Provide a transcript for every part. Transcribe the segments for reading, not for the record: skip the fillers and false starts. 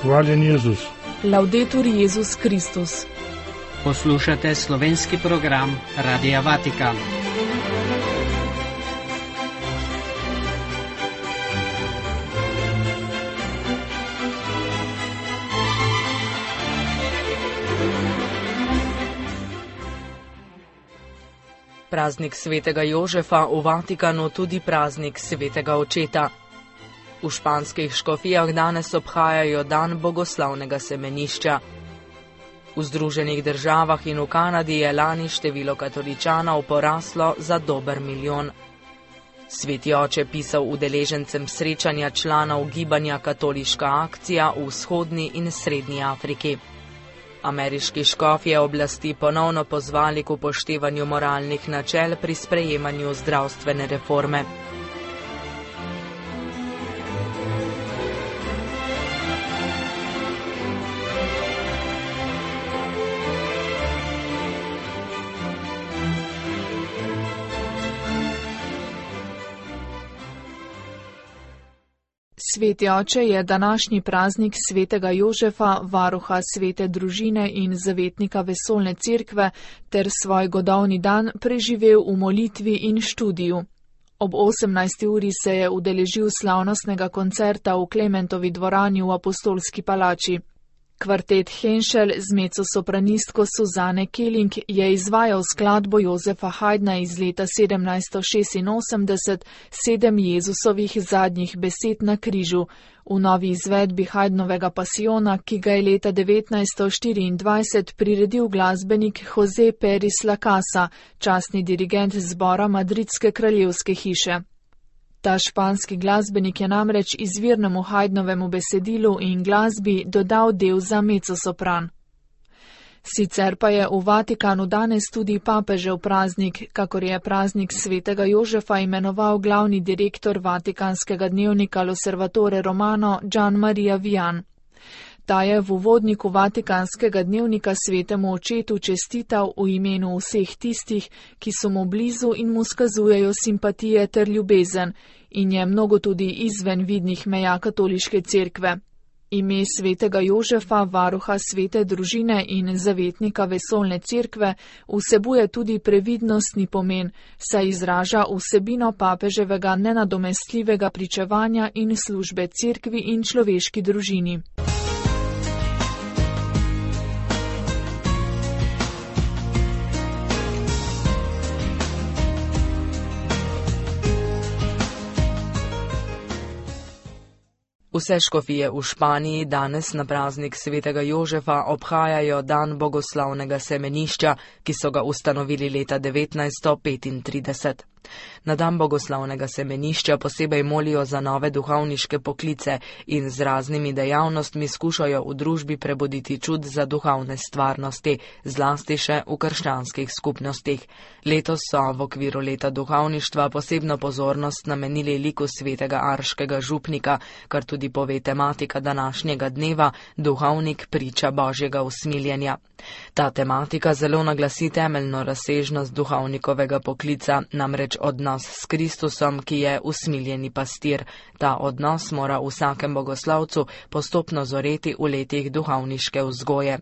Hvaljen Jezus. Laudetur Jezus Kristus. Poslušate slovenski program Radia Vatikan. Praznik svetega Jožefa, v Vatikanu tudi praznik svetega očeta. V španskih škofijah danes obhajajo dan bogoslavnega semenišča. V Združenih državah in v Kanadi je lani število katoličanov poraslo za dober 1 milijon. Sveti oče pisal udeležencem srečanja članov gibanja Katoliška akcija v vzhodni in srednji Afriki. Ameriški škofje oblasti ponovno pozvali k upoštevanju moralnih načel pri sprejemanju zdravstvene reforme. Sveti oče je današnji praznik svetega Jožefa, varuha svete družine in zavetnika vesoljne cerkve, ter svoj godovni dan preživel v molitvi in študiju. Ob 18. uri se je udeležil slavnostnega koncerta v Klementovi dvorani v Apostolski palači. Kvartet Henschel z mezosopranistko Suzane Keling je izvajal skladbo Josefa Haydna iz leta 1786, 7 Jezusovih zadnjih besed na križu, v novi izvedbi Haydnovega pasiona, ki ga je leta 1924 priredil glasbenik Jose Peris Lacasa, častni dirigent zbora Madridske kraljevske hiše. Ta španski glasbenik je namreč izvirnemu Haydnovemu besedilu in glasbi dodal del za mezzosopran. Sicer pa je v Vatikanu danes tudi papežev praznik, kakor je praznik svetega Jožefa imenoval glavni direktor vatikanskega dnevnika L'Osservatore Romano Gian Maria Vian. Ta je v uvodniku vatikanskega dnevnika svetemu očetu čestital v imenu vseh tistih, ki so mu blizu in mu skazujejo simpatije ter ljubezen, in je mnogo tudi izven vidnih meja katoliške cerkve. Ime svetega Jožefa, varuha svete družine in zavetnika vesoljne cerkve, vsebuje tudi previdnostni pomen, saj izraža vsebino papeževega nenadomestljivega pričevanja in službe cerkvi in človeški družini. Vse škofije v Španiji danes na praznik svetega Jožefa obhajajo dan bogoslavnega semenišča, ki so ga ustanovili leta 1935. Na dan bogoslavnega semenišča posebej molijo za nove duhovniške poklice in z raznimi dejavnostmi skušajo v družbi prebuditi čud za duhovne stvarnosti, zlasti še v krščanskih skupnostih. Letos so v okviru leta duhovništva posebno pozornost namenili liku svetega Arškega župnika, kar tudi pove tematika današnjega dneva, duhovnik priča Božjega usmiljenja. Ta tematika zelo naglasi temeljno razsežnost duhovnikovega poklica, namreč odnos s Kristusom, ki je usmiljeni pastir. Ta odnos mora vsakem bogoslavcu postopno zoreti v letih duhovniške vzgoje.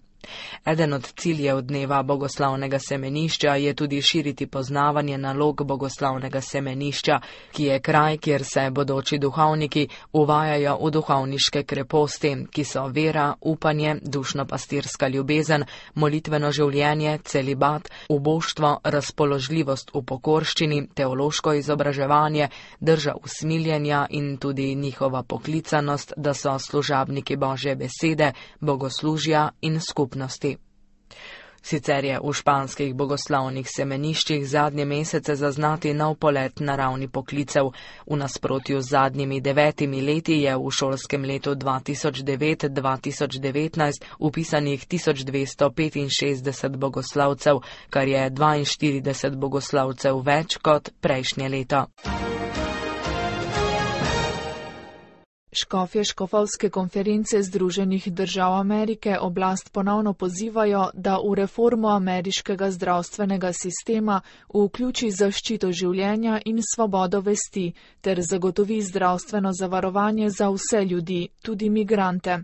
Eden od ciljev dneva bogoslavnega semenišča je tudi širiti poznavanje nalog bogoslavnega semenišča, ki je kraj, kjer se bodoči duhovniki uvajajo v duhovniške kreposti, ki so vera, upanje, dušno-pastirska ljubezen, molitveno življenje, celibat, uboštvo, razpoložljivost v pokorščini, teološko izobraževanje, drža usmiljenja in tudi njihova poklicanost, da so služabniki Božje besede, bogoslužja in skupnosti. Sicer je v španskih bogoslavnih semeniščih zadnje mesece zaznati nov polet na ravni poklicev. V nasprotju z zadnjimi 9 leti je v šolskem letu 2009-2019 upisanih 1265 bogoslavcev, kar je 42 bogoslavcev več kot prejšnje leto. Škofje škofovske konference Združenih držav Amerike oblast ponovno pozivajo, da v reformo ameriškega zdravstvenega sistema vključi zaščito življenja in svobodo vesti ter zagotovi zdravstveno zavarovanje za vse ljudi, tudi migrante.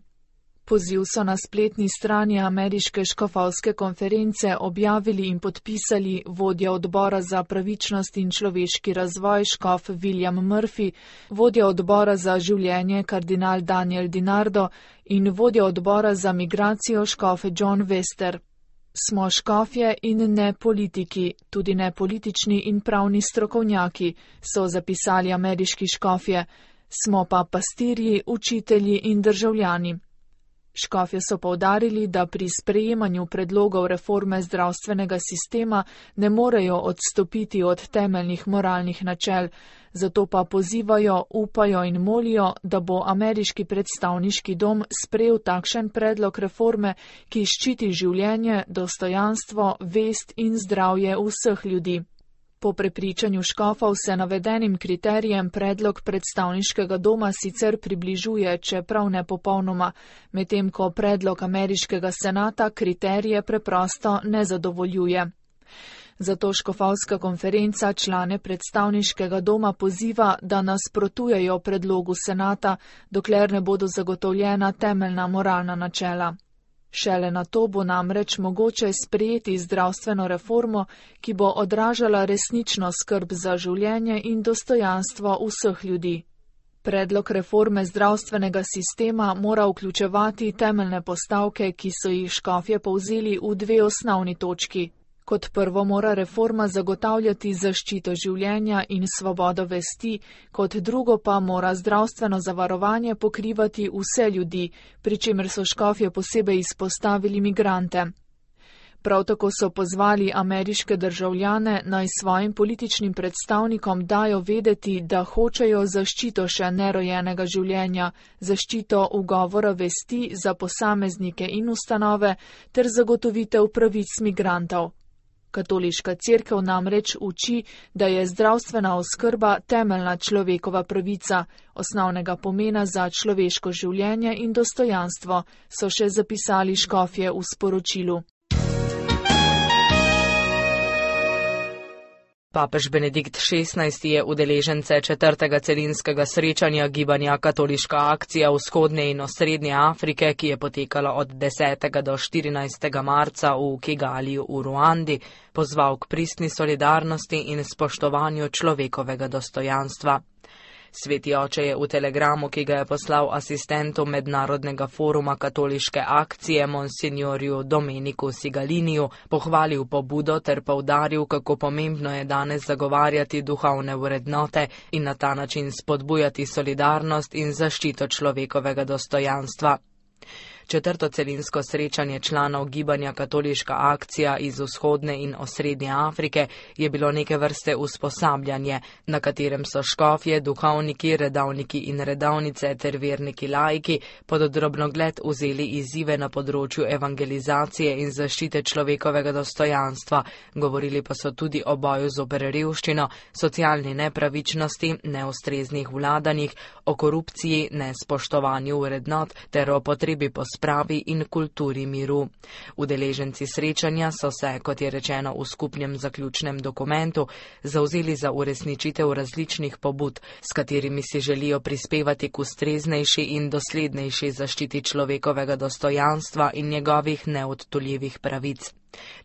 Poziv so na spletni strani Ameriške škofovske konference objavili in podpisali vodja odbora za pravičnost in človeški razvoj škof William Murphy, vodja odbora za življenje kardinal Daniel DiNardo in vodja odbora za migracijo škof John Wester. Smo škofje in ne politiki, tudi ne politični in pravni strokovnjaki, so zapisali ameriški škofje, smo pa pastirji, učitelji in državljani. Škofje so poudarili, da pri sprejemanju predlogov reforme zdravstvenega sistema ne morejo odstopiti od temeljnih moralnih načel, zato pa pozivajo, upajo in molijo, da bo ameriški predstavniški dom sprejel takšen predlog reforme, ki ščiti življenje, dostojanstvo, vest in zdravje vseh ljudi. Po prepričanju škofov se navedenim kriterijem predlog predstavniškega doma sicer približuje, čeprav ne popolnoma, medtem ko predlog ameriškega senata kriterije preprosto ne zadovoljuje. Zato škofovska konferenca člane predstavniškega doma poziva, da nasprotujejo predlogu senata, dokler ne bodo zagotovljena temeljna moralna načela. Šele na to bo namreč mogoče sprejeti zdravstveno reformo, ki bo odražala resnično skrb za življenje in dostojanstvo vseh ljudi. Predlog reforme zdravstvenega sistema mora vključevati temeljne postavke, ki so jih škofje povzeli v dve osnovni točki. Kot prvo mora reforma zagotavljati zaščito življenja in svobodo vesti, kot drugo pa mora zdravstveno zavarovanje pokrivati vse ljudi, pri čemer so škofje posebej izpostavili migrante. Prav tako so pozvali ameriške državljane, naj svojim političnim predstavnikom dajo vedeti, da hočejo zaščito še nerojenega življenja, zaščito ugovora vesti za posameznike in ustanove ter zagotovitev pravic migrantov. Katoliška cerkev namreč uči, da je zdravstvena oskrba temeljna človekova pravica, osnovnega pomena za človeško življenje in dostojanstvo, so še zapisali škofje v sporočilu. Papež Benedikt XVI je udeležence 4. celinskega srečanja gibanja Katoliška akcija vzhodne in osrednje Afrike, ki je potekala od 10. do 14. marca v Kigaliju v Ruandi, pozval k pristni solidarnosti in spoštovanju človekovega dostojanstva. Sveti oče je v telegramu, ki ga je poslal asistentu Mednarodnega foruma Katoliške akcije monsignorju Domeniku Sigaliniju, pohvalil pobudo ter poudaril, kako pomembno je danes zagovarjati duhovne vrednote in na ta način spodbujati solidarnost in zaščito človekovega dostojanstva. 4. celinsko srečanje članov gibanja Katoliška akcija iz vzhodne in osrednje Afrike je bilo neke vrste usposabljanje, na katerem so škofje, duhovniki, redovniki in redovnice ter verniki laiki pod drobnogled vzeli izzive na področju evangelizacije in zaščite človekovega dostojanstva, govorili pa so tudi o boju zoper revščino, socialni nepravičnosti, neustreznih vladanjih, o korupciji, nespoštovanju vrednot ter o potrebi po spravi in kulturi miru. Udeleženci srečanja so se, kot je rečeno v skupnem zaključnem dokumentu, zavzeli za uresničitev različnih pobud, s katerimi si želijo prispevati k ustreznejši in doslednejši zaščiti človekovega dostojanstva in njegovih neodtuljivih pravic.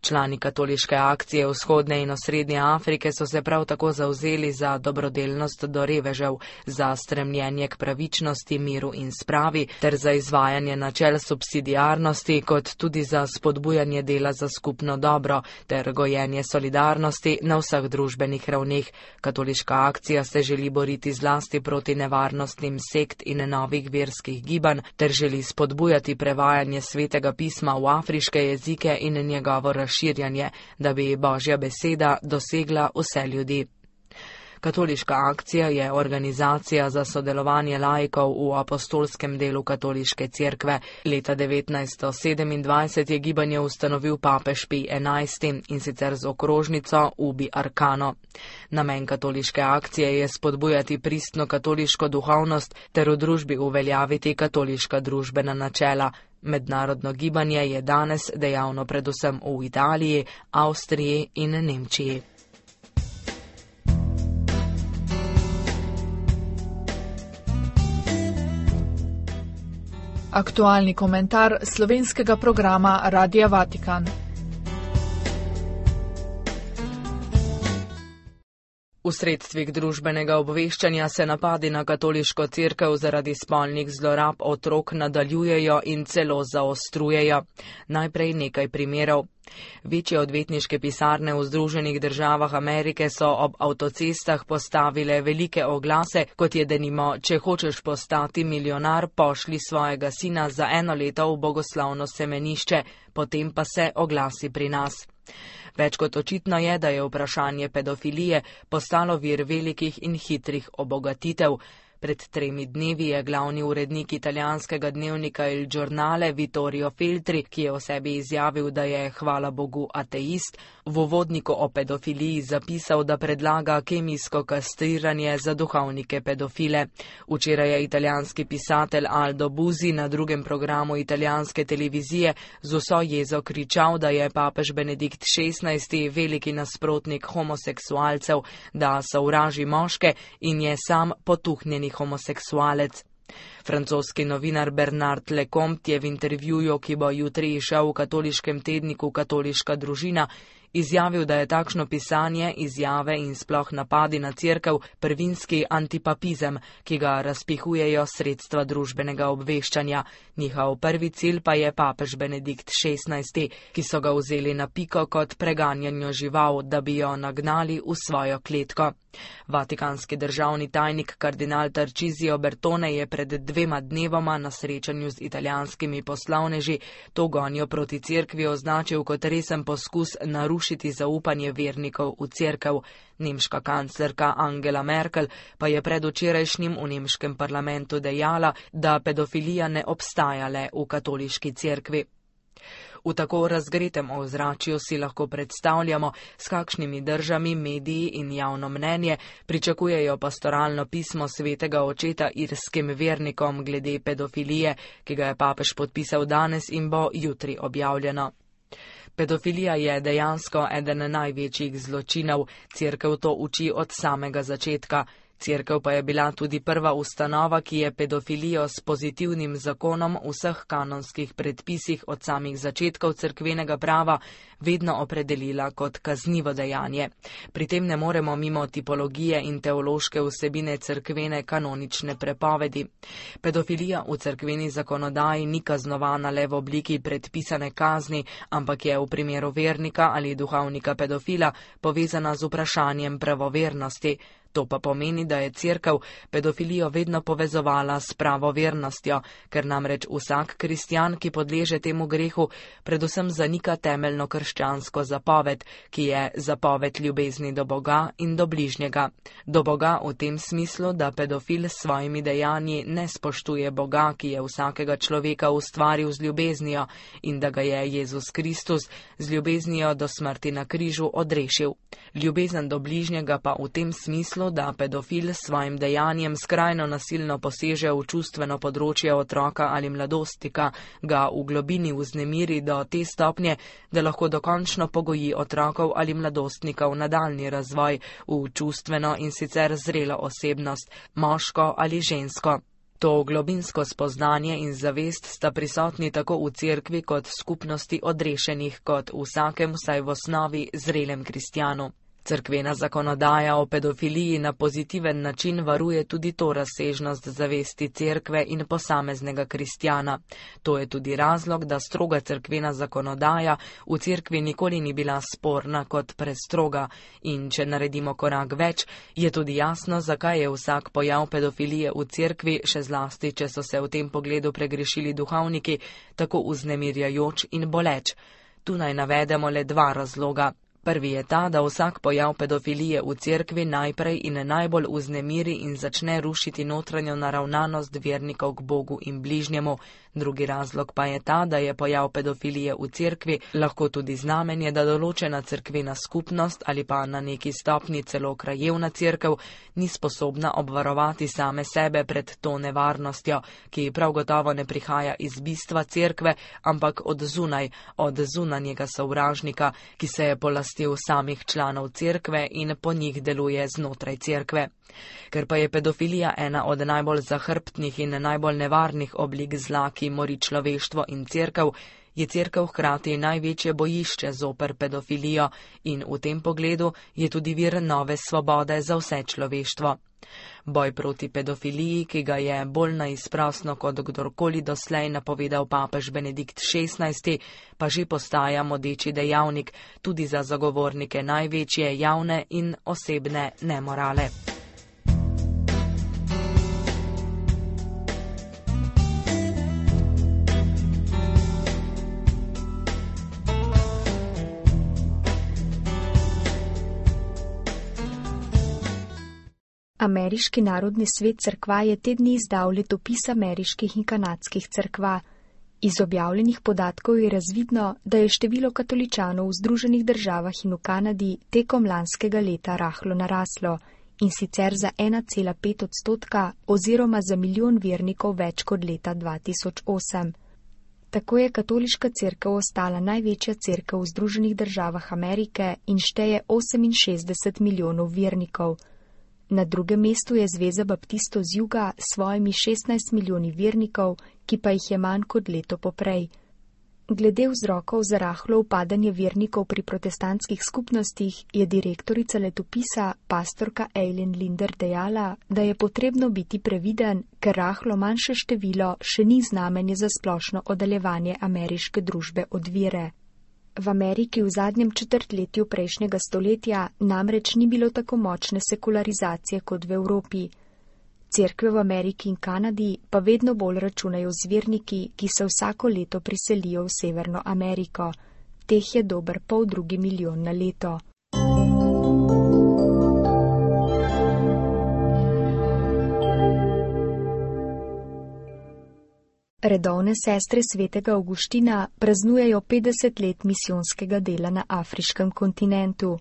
Člani Katoliške akcije vzhodne in osrednje Afrike so se prav tako zavzeli za dobrodelnost do revežev, za stremljenje k pravičnosti, miru in spravi ter za izvajanje načel subsidiarnosti, kot tudi za spodbujanje dela za skupno dobro ter gojenje solidarnosti na vseh družbenih ravneh. Katoliška akcija se želi boriti zlasti proti nevarnostnim sekt in novih verskih gibanj ter želi spodbujati prevajanje svetega pisma v afriške jezike in njegovo razširjanje, da bi Božja beseda dosegla vse ljudi. Katoliška akcija je organizacija za sodelovanje laikov v apostolskem delu katoliške cerkve. Leta 1927 je gibanje ustanovil papež Pij XI in sicer z okrožnico Ubi Arcano. Namen katoliške akcije je spodbujati pristno katoliško duhovnost ter v družbi uveljaviti katoliška družbena načela. Mednarodno gibanje je danes dejavno predvsem v Italiji, Avstriji in Nemčiji. Aktualni komentar slovenskega programa Radia Vatikan. V sredstvih družbenega obveščanja se napadi na katoliško cerkev zaradi spolnih zlorab otrok nadaljujejo in celo zaostrujejo. Najprej nekaj primerov. Večje odvetniške pisarne v Združenih državah Amerike so ob avtocestah postavile velike oglase, kot je denimo: če hočeš postati milijonar, pošlji svojega sina za 1 leto v bogoslovno semenišče, potem pa se oglasi pri nas. Več kot očitno je, da je vprašanje pedofilije postalo vir velikih in hitrih obogatitev. Pred 3 dnevi je glavni urednik italijanskega dnevnika Il Giornale Vittorio Feltri, ki je o sebi izjavil, da je, hvala Bogu, ateist, v uvodniku o pedofiliji zapisal, da predlaga kemijsko kastriranje za duhovnike pedofile. Včeraj je italijanski pisatelj Aldo Buzi na drugem programu italijanske televizije z vso jezo kričal, da je papež Benedikt XVI veliki nasprotnik homoseksualcev, da sovraži moške in je sam potuhnjeni homoseksualec. Francoski novinar Bernard Lecomte je v intervjuju, ki bo jutri izšel v katoliškem tedniku Katoliška družina, izjavil, da je takšno pisanje, izjave in sploh napadi na cerkev prvinski antipapizem, ki ga razpihujejo sredstva družbenega obveščanja. Njihov prvi cilj pa je papež Benedikt XVI, ki so ga vzeli na piko kot preganjanjo žival, da bi jo nagnali v svojo kletko. Vatikanski državni tajnik kardinal Tarcisio Bertone je pred 2 dnevoma na srečanju z italijanskimi poslovneži to gonjo proti cerkvi označil kot resen poskus narušiti zaupanje vernikov v cerkev. Nemška kanclerka Angela Merkel pa je predvčerajšnjim v nemškem parlamentu dejala, da pedofilija ne obstaja le v katoliški cerkvi. V tako razgretem ozračju si lahko predstavljamo, s kakšnimi držami mediji in javno mnenje pričakujejo pastoralno pismo svetega očeta irskim vernikom glede pedofilije, ki ga je papež podpisal danes in bo jutri objavljeno. Pedofilija je dejansko eden največjih zločinov, cerkev to uči od samega začetka. Cerkev pa je bila tudi prva ustanova, ki je pedofilijo s pozitivnim zakonom v vseh kanonskih predpisih od samih začetkov cerkvenega prava vedno opredelila kot kaznivo dejanje. Pri tem ne moremo mimo tipologije in teološke vsebine cerkvene kanonične prepovedi. Pedofilija v cerkveni zakonodaji ni kaznovana le v obliki predpisane kazni, ampak je v primeru vernika ali duhovnika pedofila povezana z vprašanjem pravovernosti. To pa pomeni, da je cerkev pedofilijo vedno povezovala s pravovernostjo, ker namreč vsak kristjan, ki podleže temu grehu, predvsem zanika temeljno krščansko zapoved, ki je zapoved ljubezni do Boga in do bližnjega. Do Boga v tem smislu, da pedofil s svojimi dejanji ne spoštuje Boga, ki je vsakega človeka ustvaril z ljubeznijo in da ga je Jezus Kristus z ljubeznijo do smrti na križu odrešil. Ljubezen do bližnjega pa v tem smislu, da pedofil s svojim dejanjem skrajno nasilno poseže v čustveno področje otroka ali mladostnika, ga v globini vznemiri do te stopnje, da lahko dokončno pogoji otrokov ali mladostnikov nadaljnji razvoj v čustveno in sicer zrelo osebnost, moško ali žensko. To globinsko spoznanje in zavest sta prisotni tako v cerkvi kot skupnosti odrešenih, kot vsakem vsaj v osnovi zrelem kristjanu. Cerkvena zakonodaja o pedofiliji na pozitiven način varuje tudi to razsežnost zavesti cerkve in posameznega kristjana. To je tudi razlog, da stroga cerkvena zakonodaja v cerkvi nikoli ni bila sporna kot prestroga. In če naredimo korak več, je tudi jasno, zakaj je vsak pojav pedofilije v cerkvi, še zlasti, če so se v tem pogledu pregrešili duhovniki, tako vznemirjajoč in boleč. Tu naj navedemo le 2 razloga. Prvi je ta, da vsak pojav pedofilije v cerkvi najprej in najbolj vznemiri in začne rušiti notranjo naravnanost vernikov k Bogu in bližnjemu. Drugi razlog pa je ta, da je pojav pedofilije v cerkvi lahko tudi znamenje, da določena cerkvena skupnost ali pa na neki stopni celo krajevna cerkev ni sposobna obvarovati same sebe pred to nevarnostjo, ki prav gotovo ne prihaja iz bistva cerkve, ampak od zunaj, od zunanjega sovražnika, ki se je polastil čustvosти v samih članov cerkve in po njih deluje znotraj cerkve. Ker pa je pedofilija ena od najbolj zahrbtnih in najbolj nevarnih oblik zla, ki mori človeštvo in cerkev, je cerkev hkrati največje bojišče zoper pedofilijo in v tem pogledu je tudi vir nove svobode za vse človeštvo. Boj proti pedofiliji, ki ga je bolj neizprosno kot kdorkoli doslej napovedal papež Benedikt XVI, pa že postaja modeči dejavnik tudi za zagovornike največje javne in osebne nemorale. Ameriški narodni svet cerkva je te dni izdal letopis ameriških in kanadskih cerkva. Iz objavljenih podatkov je razvidno, da je število katoličanov v Združenih državah in v Kanadi tekom lanskega leta rahlo naraslo, in sicer za 1,5% oziroma za milijon vernikov več kot leta 2008. Tako je katoliška cerkev ostala največja cerkev v Združenih državah Amerike in šteje 68 milijonov vernikov. Na drugem mestu je Zveza baptistov z juga s svojimi 16 milijoni vernikov, ki pa jih je manj kot leto poprej. Glede vzrokov za rahlo upadanje vernikov pri protestantskih skupnostih je direktorica letopisa, pastorka Eileen Linder dejala, da je potrebno biti previden, ker rahlo manjše število še ni znamenje za splošno oddaljevanje ameriške družbe od vere. V Ameriki v zadnjem četrtletju prejšnjega stoletja namreč ni bilo tako močne sekularizacije kot v Evropi. Cerkve v Ameriki in Kanadi pa vedno bolj računajo z verniki, ki se vsako leto priselijo v Severno Ameriko. Teh je dober 2,5 milijona na leto. Redovne sestre svetega Avguština praznujejo 50 let misijonskega dela na afriškem kontinentu.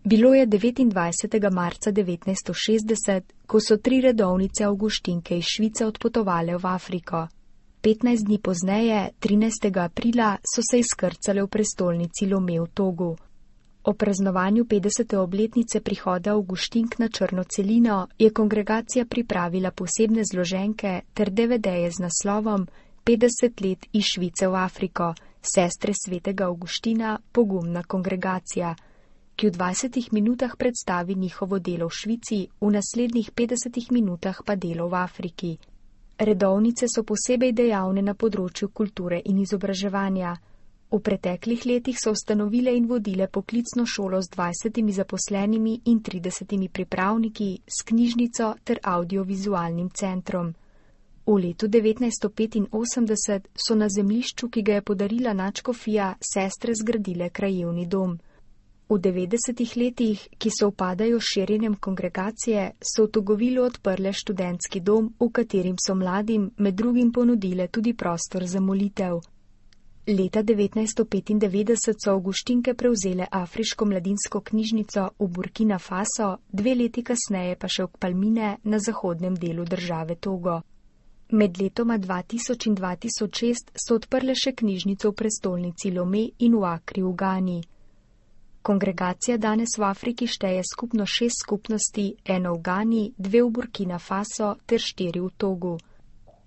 Bilo je 29. marca 1960, ko so 3 redovnice Avguštinke iz Švice odpotovale v Afriko. 15 dni pozneje, 13. aprila, so se izkrcale v prestolnici Lome v Togu. O praznovanju 50. obletnice prihoda Avguštink na Črno celino je kongregacija pripravila posebne zloženke ter DVD-je z naslovom 50 let iz Švice v Afriko, sestre svetega Avguština, pogumna kongregacija, ki v 20 minutah predstavi njihovo delo v Švici, v naslednjih 50 minutah pa delo v Afriki. Redovnice so posebej dejavne na področju kulture in izobraževanja. V preteklih letih so ustanovile in vodile poklicno šolo z 20 zaposlenimi in 30 pripravniki, s knjižnico ter audiovizualnim centrom. V letu 1985 so na zemljišču, ki ga je podarila nadškofija, sestre zgradile krajevni dom. V 90 letih, ki se upadajo s širjenjem kongregacije, so v Togovilu odprle študentski dom, v katerim so mladim med drugim ponudile tudi prostor za molitev. Leta 1995 so Avguštinke prevzele afriško mladinsko knjižnico v Burkina Faso, 2 leti kasneje pa še v Palmine na zahodnem delu države Togo. Med letoma 2000 in 2006 so odprle še knjižnico v prestolnici Lome in v Akri v Gani. Kongregacija danes v Afriki šteje skupno 6 skupnosti, 1 v Gani, 2 v Burkina Faso ter 4 v Togu.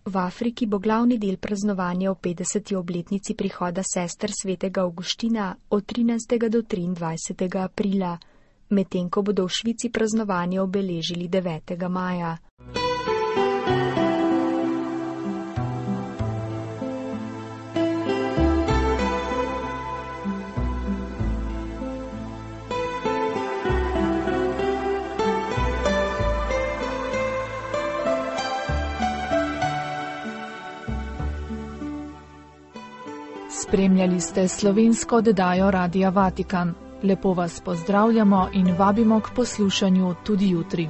V Afriki bo glavni del praznovanja v 50. obletnici prihoda sester svetega Avguština od 13. do 23. aprila, medtem ko bodo v Švici praznovanje obeležili 9. maja. Spremljali ste slovensko oddajo Radia Vatikan. Lepo vas pozdravljamo in vabimo k poslušanju tudi jutri.